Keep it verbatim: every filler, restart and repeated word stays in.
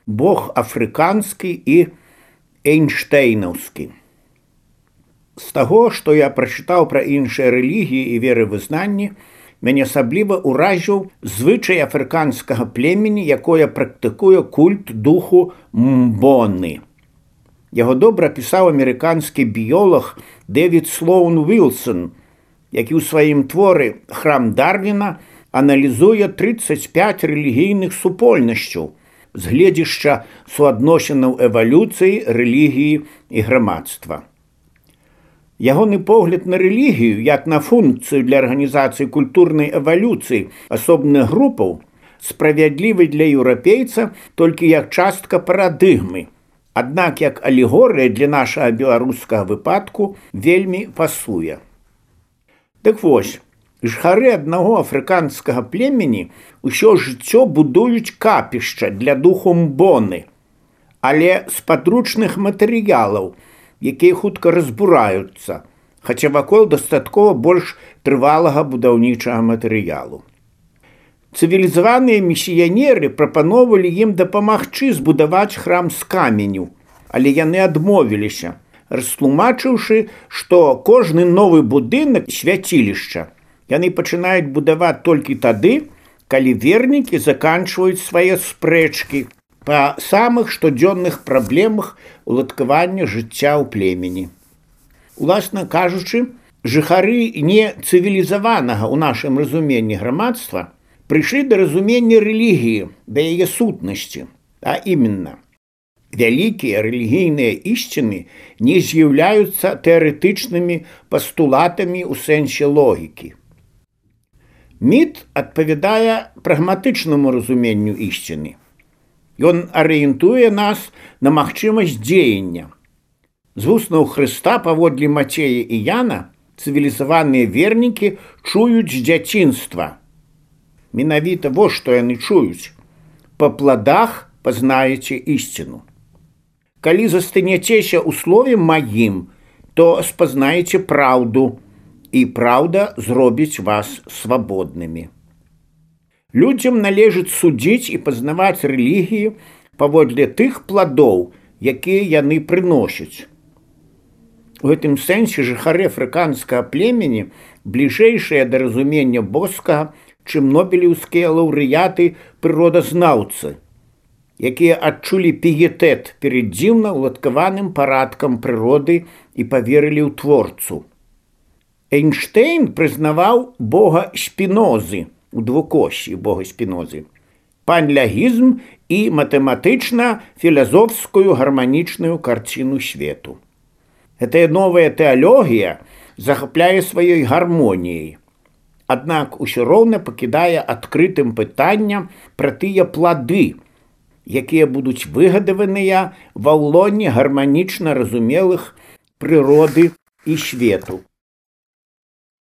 бог афрыканскі і эйнштэйнаўскі. З таго, што я прачытаў пра іншыя рэлігіі і веравызнанні, мяне асабліва ўразіў звычай афрыканскага племені, якое практыкуе культ духу Мбоны. Яго добра апісаў амерыканскі біёлаг Дэвід Слоун Уілсон, які ў сваім творы «Храм Дарвіна» аналізуе трыццаць пяць рэлігійных супольнасцяў з гледзішча суадносінаў эвалюцыі, рэлігіі і грамадства. Ягоны погляд на рэлігію, як на функцыю для арганізацыі культурнай эвалюцыі асобных групаў, справядлівы для еўрапейца толькі як частка парадыгмы, аднак як алегорыя для нашага беларускага выпадку вельмі пасуе. Дык вось, жыхары аднаго афрыканскага племені ўсё жыццё будуюць капішча для духу Мбоны, але з падручных матэрыялаў, якія хутка разбураюцца, хаця вакол дастаткова больш трывалага будаўнічага матэрыялу. Цывілізаваныя місіянеры прапаноўвалі ім дапамагчы збудаваць храм з каменю, але яны адмовіліся, растлумачыўшы, што кожны новы будынак свяцілішча яны пачынаюць будаваць толькі тады, калі вернікі заканчваюць свае спрэчкі па самых штодзённых праблемах уладкавання жыцця ў племені. Уласна кажучы, жыхары нецывілізаванага ў нашым разуменні грамадства прыйшлі да разумення рэлігіі, да яе сутнасці, а іменно, вялікія рэлігійныя ісціны не з'яўляюцца тэарэтычнымі пастулатамі ў сэнсе логікі. Міт адпавядае прагматычнаму разуменню ісціны. Ён арыентуе нас на магчымасць дзеяння. З вуснаў Хрыста паводле Мацея і Яна цывілізаваныя вернікі чуюць з дзяцінства. Менавіта вось што яны чуюць. Па пладах пазнаеце ісціну. Калі застанецеся ў слове маім, то спазнаеце праўду, і праўда зробіць вас свабоднымі. Людзям належыць судзіць і пазнаваць рэлігіі паводле тых пладоў, якія яны прыносяць. У гэтым сэнсе жыхары афрыканскага племені бліжэйшыя да разумення боскага, чым нобелеўскія лаўрэяты прыродазнаўцы, якія адчулі піетэт перад дзіўна ўладкаваным парадкам прыроды і паверылі ў творцу. Эйнштэйн прызнаваў бога Спінозы, у двукоссі бога Спінозы, панлягізм і матэматычна-філазофскую гарманічную карціну свету. Гэтая новая тэалогія захапляе сваёй гармоніяй, аднак усё роўна пакідае адкрытым пытанням пра тыя плады, якія будуць выгадаваныя ва ўлоне гарманічна разумелых прыроды і свету.